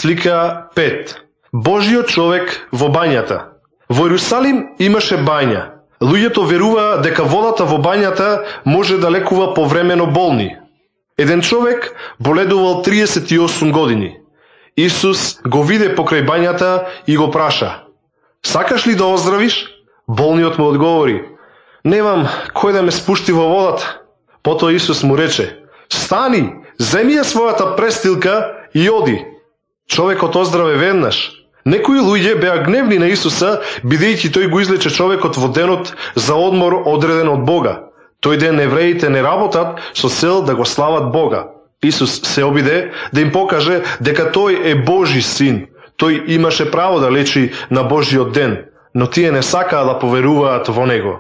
Слика 5. Божиот човек во бањата. Во Иерусалим имаше бања. Луѓето веруваа дека водата во бањата може да лекува повремено болни. Еден човек боледувал 38 години. Исус го виде покрај бањата и го праша: "Сакаш ли да оздравиш?" Болниот му одговори: "Немам кој да ме спушти во водата." Потоа Исус му рече: "Стани, земи ја својата престилка и оди." Човекот оздраве веднаш. Некои луѓе беа гневни на Исуса, бидејќи тој го излече човекот во денот за одмор одреден од Бога. Тој ден евреите не работат со цел да го слават Бога. Исус се обиде да им покаже дека тој е Божи син. Тој имаше право да лечи на Божиот ден, но тие не сакаа да поверуваат во него.